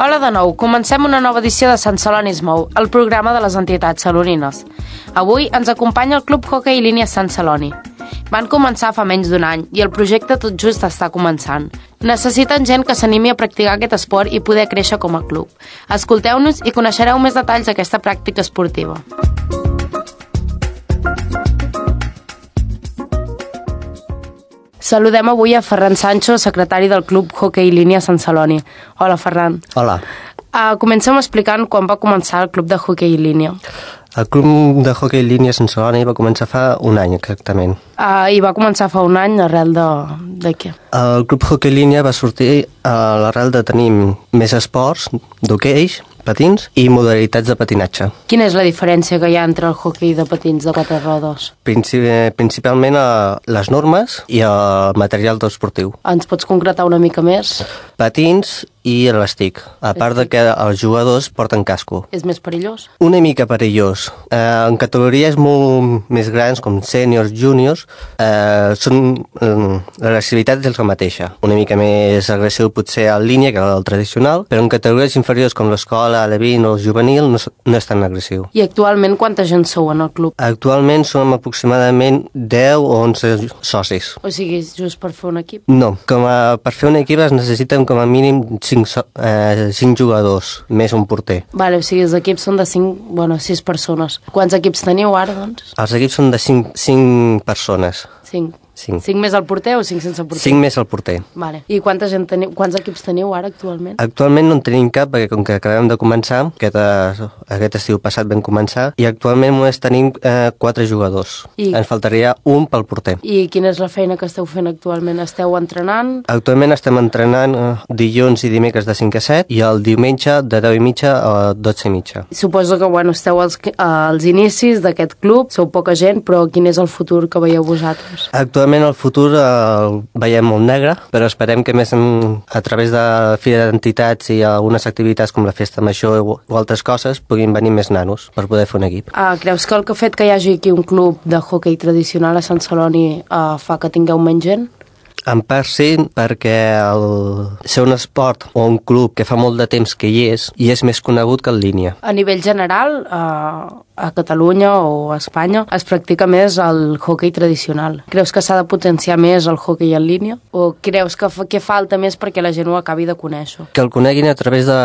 Hola de nou, comencem una nova edició de Sant Celoni es mou, el programa de les entitats celonines. Avui ens acompanya el Club Hoquei Línia Sant Celoni. Van començar fa menys d'un any i el projecte tot just està començant. Necessiten gent que s'animi a practicar aquest esport i poder créixer com a club. Escolteu-nos i coneixereu més detalls d'aquesta pràctica esportiva. Saludem avui a Ferran Sancho, secretari del Club Hoquei Línia Sant Celoni. Hola, Ferran. Hola. Comencem explicant quan va començar el Club de Hoquei Línia. El Club de Hoquei Línia Sant Celoni va començar fa un any, exactament. I va començar fa un any arrel de què? El Club Hoquei Línia va sortir a l'arrel de tenir més esports d'hoquei, patins i modalitats de patinatge. Quina és la diferència que hi ha entre el hoquei de patins de quatre rodes? Principalment les normes i el material esportiu. Ens pots concretar una mica més? Patins i l'estic, a part de que els jugadors porten casco. És més perillós? Una mica perillós. En categories molt més grans, com sèniors, júniors, l'agressivitat és la mateixa. Una mica més agressiu potser en línia que el tradicional, però en categories inferiors com l'escola, l'E20 o el juvenil no és tan agressiu. I actualment quanta gent sou en el club? Actualment som aproximadament 10 o 11 socis. O sigui, just per fer un equip? No, per fer un equip es necessiten com a mínim 5 jugadors, més un porter. Vale, o sigui, els equips són de 6 persones. Quants equips teniu ara, doncs? Els equips són de 5 persones. 5. 5 més al porter o 5 sense porter? 5 més al porter. Vale. I quanta gent teniu? Quants equips teniu ara actualment? Actualment no en tenim cap perquè com que acabem de començar, aquest estiu passat vam començar, i actualment només tenim 4 jugadors. Ens faltaria un pel porter. I quina és la feina que esteu fent actualment? Esteu entrenant? Actualment estem entrenant dilluns i dimecres de 5 a 7 i el diumenge de 10 i mitja a 12 i mitja. Suposo que esteu als inicis d'aquest club, sou poca gent, però quin és el futur que veieu vosaltres? Actualment el futur el veiem molt negre, però esperem que més a través de la Fira d'Entitats i algunes activitats com la Festa Major o altres coses puguin venir més nanos per poder fer un equip. Creus que el fet que hi hagi aquí un club de hoquei tradicional a Sant Celoni fa que tingueu menys gent? En part sí, perquè ser un esport o un club que fa molt de temps que hi és més conegut que en línia. A nivell general, a Catalunya o a Espanya es practica més el hoquei tradicional. Creus que s'ha de potenciar més el hoquei en línia? O creus que falta més perquè la gent ho acabi de conèixer? Que el coneguin a través de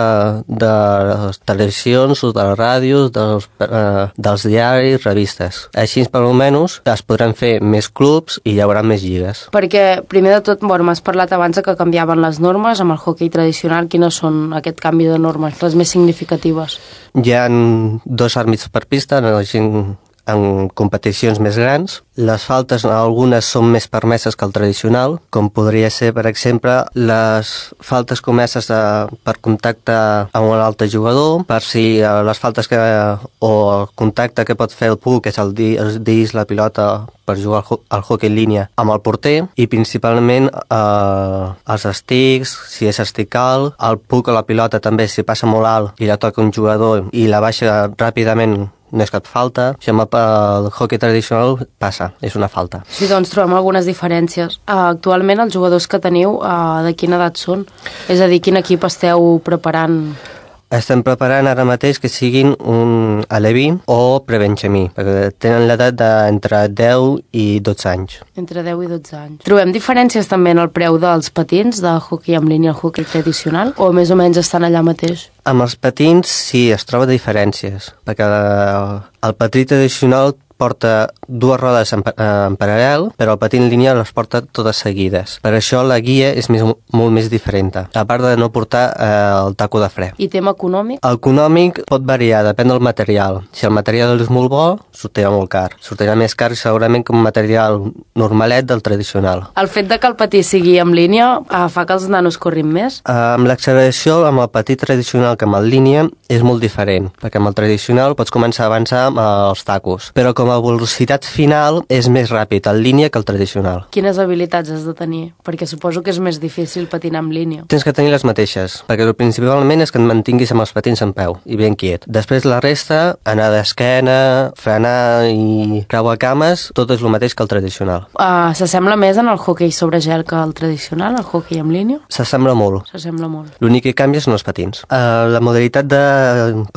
les televisions, de les ràdios, dels diaris, revistes. Així, per almenys, es podran fer més clubs i hi haurà més lligues. Perquè, primer de tot, m'has parlat abans que canviaven les normes amb el hoquei tradicional. Quines són aquest canvi de normes, les més significatives? Hi ha 2 àrbits per pista en competicions més grans. Les faltes, algunes són més permeses que el tradicional, com podria ser, per exemple, les faltes comeses per contacte amb un altre jugador, per si les faltes o el contacte que pot fer el puck, que és el disc, la pilota, per jugar al hoquei en línia amb el porter, i principalment els estics, si és estic alt, el puck o la pilota també, si passa molt alt i la toca un jugador i la baixa ràpidament, no és cap falta. Això amb el hoquei tradicional passa, és una falta. Sí, doncs trobem algunes diferències. Actualment els jugadors que teniu, de quina edat són? És a dir, quin equip esteu preparant? Estem preparant ara mateix que siguin un aleví o prebenjamí, perquè tenen l'edat d'entre 10 i 12 anys. Entre 10 i 12 anys. Trobem diferències també en el preu dels patins de hoquei en línia al hoquei tradicional, o més o menys estan allà mateix? Amb els patins sí, es troba diferències, perquè el patí tradicional porta 2 rodes en paral·lel, però el patí en línia les porta totes seguides. Per això la guia és molt més diferent, a part de no portar el taco de fre. I tema econòmic? El econòmic pot variar, depèn del material. Si el material és molt bo, sortirà molt car. Sortirà més car segurament que un material normalet del tradicional. El fet de que el patí sigui en línia fa que els nanos corrin més? Amb l'acceleració, amb el patí tradicional que amb el línia, és molt diferent, perquè amb el tradicional pots començar a avançar amb els tacos, però com a velocitat final és més ràpid en línia que el tradicional. Quines habilitats has de tenir? Perquè suposo que és més difícil patinar en línia. Tens que tenir les mateixes, perquè principalment és que et mantinguis amb els patins en peu i ben quiet. Després la resta, anar d'esquena, frenar i creuar cames, tot és el mateix que el tradicional. S'assembla més en el hoquei sobre gel que el tradicional, el hoquei en línia? S'assembla molt. S'assembla molt. L'únic que canvia són els patins. La modalitat de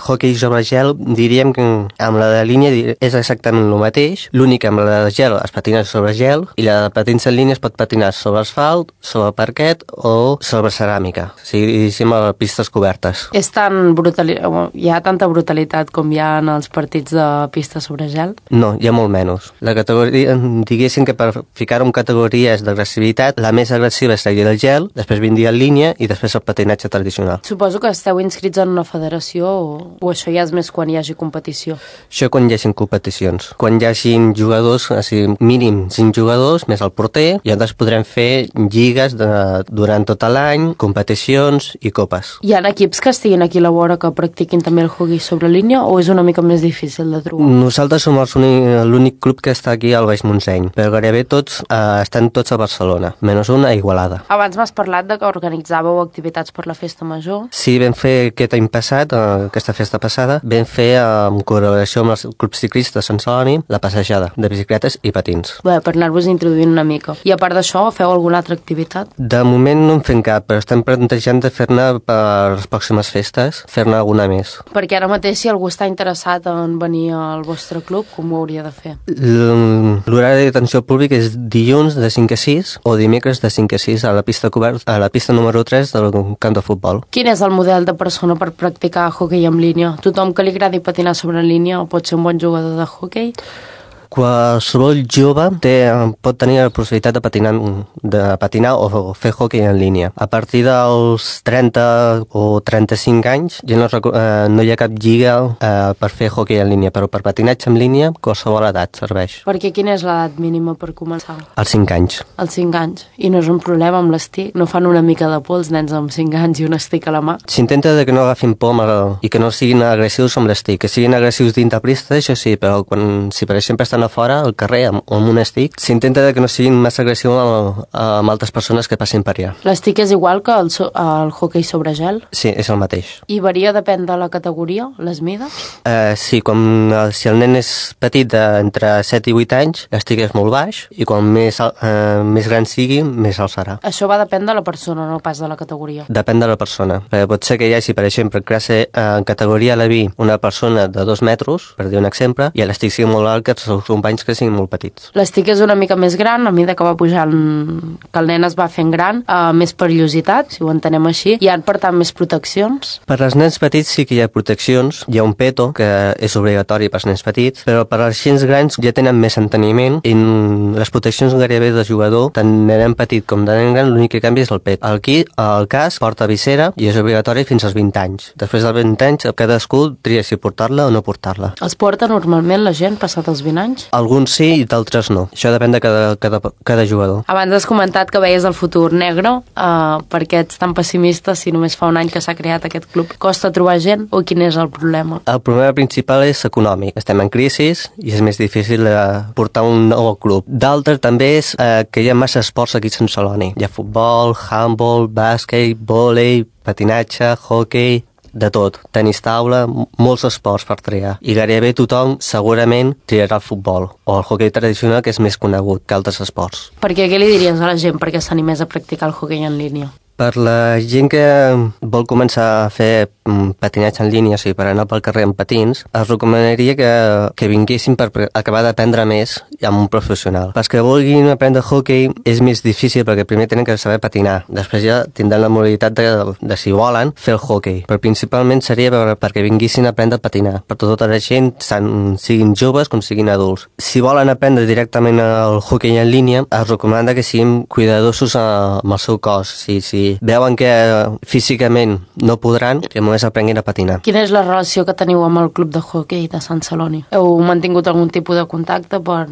hoquei sobre gel, diríem que amb la de línia és exactament el mateix. L'únic que amb la de gel es patina sobre gel i la de patins en línia es pot patinar sobre asfalt, sobre parquet o sobre ceràmica, o sigui, a pistes cobertes. Hi ha tanta brutalitat com hi ha en els partits de pista sobre gel? No, hi ha molt menys. La categoria, diguéssim que per ficar-ho en categories d'agressivitat, la més agressiva seria el gel, després vindria en línia i després el patinatge tradicional. Suposo que esteu inscrits en una federació o això ja és més quan hi hagi competició? Això quan hi hagi competicions. Quan hi hagi jugadors, mínim 5 jugadors, més el porter, i llavors podrem fer lligues durant tot l'any, competicions i copes. Hi ha equips que estiguin aquí a la vora que practiquin també el hoquei sobre línia o és una mica més difícil de trobar? Nosaltres som l'únic club que està aquí al Baix Montseny, però gairebé tots estan tots a Barcelona, menys un a Igualada. Abans m'has parlat de que organitzàveu activitats per la festa major. Sí, vam fer aquest any passat, aquesta festa passada, vam fer en col·laboració amb els clubs ciclistes de Sant Celoni la passejada de bicicletes i patins. Bé, per anar-vos introduint una mica. I a part d'això, feu alguna altra activitat? De moment no en fem cap, però estem plantejant de fer-ne per les pròximes festes, fer-ne alguna més. Perquè ara mateix, si algú està interessat en venir al vostre club, com ho hauria de fer? L'horari d'atenció al públic és dilluns de 5 a 6 o dimecres de 5 a 6 a la pista número 3 del camp de futbol. Quin és el model de persona per practicar hoquei en línia? Tothom que li agradi patinar sobre línia pot ser un bon jugador de hoquei? Qualsevol jove pot tenir la possibilitat de patinar o fer hoquei en línia. A partir dels 30 o 35 anys ja no hi ha cap lliga per fer hoquei en línia, però per patinatge en línia qualsevol edat serveix. Perquè quina és l'edat mínima per començar? Els 5 anys. Els 5 anys. I no és un problema amb l'estic? No fan una mica de por els nens amb 5 anys i un estic a la mà? S'intenta que no agafin por i que no siguin agressius amb l'estic. Que siguin agressius dintre pista, això sí, però si per exemple estan a fora, al carrer, amb un estic, s'intenta que no siguin massa agressius amb altres persones que passin per allà. L'estic és igual que el hoquei sobre gel? Sí, és el mateix. I varia depèn de la categoria, les mides? Sí, si el nen és petit entre 7 i 8 anys, l'estic és molt baix i quan més gran sigui, més alt serà. Això va depèn de la persona, no pas de la categoria? Depèn de la persona. Pot ser que hi hagi, per exemple, en categoria Leví, una persona de 2 metres, per dir un exemple, i l'estic sigui molt alt que els seus companys que siguin molt petits. L'estic és una mica més gran, a mesura que va pujant, que el nen es va fent gran, més perillositat, si ho entenem així. Hi ha, per tant, més proteccions? Per als nens petits sí que hi ha proteccions. Hi ha un peto, que és obligatori per als nens petits, però per als gens grans ja tenen més enteniment i les proteccions gairebé de jugador, tant de nen petit com de nen gran, l'únic que canvia és el pet. Aquí, el cas, porta visera i és obligatori fins als 20 anys. Després dels 20 anys, cadascú tria si portar-la o no portar-la. Els porta normalment la gent passat els 20 anys? Alguns sí i d'altres no. Això depèn de cada jugador. Abans has comentat que veies el futur negre. Per què ets tan pessimista si només fa un any que s'ha creat aquest club? Costa trobar gent o quin és el problema? El problema principal és econòmic. Estem en crisi i és més difícil portar un nou club. D'altre també és que hi ha massa esports aquí a Sant Celoni. Hi ha futbol, handball, bàsquet, vòlei, patinatge, hoquei, de tot, tenis taula, molts esports per triar. I gairebé tothom segurament triarà el futbol o el hoquei tradicional, que és més conegut que altres esports. Perquè què li diries a la gent perquè s'animés a practicar el hoquei en línia? Per la gent que vol començar a fer patinatge en línia, o sigui, per anar pel carrer amb patins, els recomanaria que vinguessin per acabar d'aprendre més amb un professional. Els que vulguin aprendre hoquei és més difícil perquè primer tenen que saber patinar. Després ja tindran la modalitat de si volen, fer el hoquei. Però principalment seria perquè vinguessin a aprendre a patinar. Per tota la gent, siguin joves com siguin adults. Si volen aprendre directament el hoquei en línia, es recomana que siguin cuidadosos amb el seu cos. Si veuen que físicament no podran, que només aprenguin a patinar. Quina és la relació que teniu amb el club de hoquei de Sant Celoni? Heu mantingut algun tipus de contacte per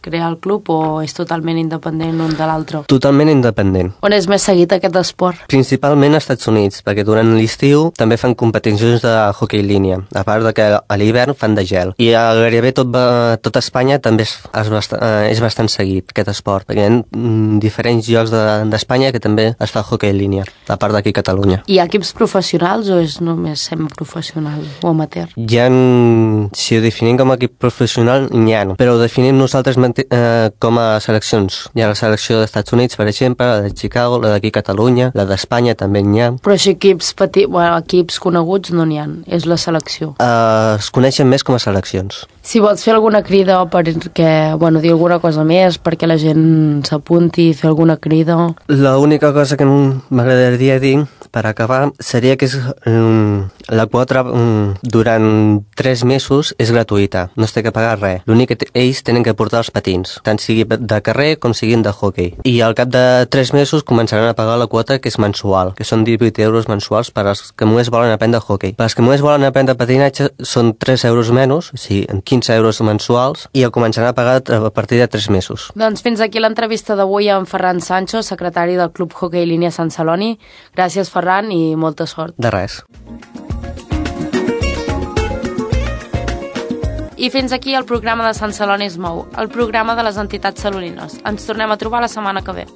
crear el club o és totalment independent l'un de l'altre? Totalment independent. On és més seguit aquest esport? Principalment als Estats Units, perquè durant l'estiu també fan competicions de hoquei línia, a part de que a l'hivern fan de gel. I a gairebé tot Espanya també és bastant seguit aquest esport, perquè hi ha diferents llocs d'Espanya que també es fa hoquei línia, a part d'aquí a Catalunya. Hi ha equips professionals o és només semiprofessional o amateur? Si ho definim com a equip professional, n'hi ha, però ho definim nosaltres com a seleccions. Hi ha la selecció dels Estats Units, per exemple, la de Chicago, la d'aquí a Catalunya, la d'Espanya també n'hi ha. Però així equips coneguts no n'hi ha, és la selecció. Es coneixen més com a seleccions. Si vols fer alguna crida perquè, dir alguna cosa més, perquè la gent s'apunti, fer alguna crida... L'única cosa que m'agradaria dir, per acabar, seria que la quota durant 3 mesos és gratuïta, no es té que pagar res. L'únic que ells tenen que portar els patins, tant sigui de carrer com siguin de hoquei. I al cap de 3 mesos començaran a pagar la quota que és mensual, que són 18 euros mensuals per als que només volen aprendre hoquei. Per als que només volen aprendre patinatge són 3 euros menys, o sigui, 15 euros mensuals, i el començaran a pagar a partir de 3 mesos. Doncs fins aquí l'entrevista d'avui amb Ferran Sancho, secretari del Club Hoquei Línia Sant Celoni. Gràcies, Ferran, i molta sort. De res. I fins aquí el programa de Sant Celoni es mou, el programa de les entitats celonines. Ens tornem a trobar la setmana que ve.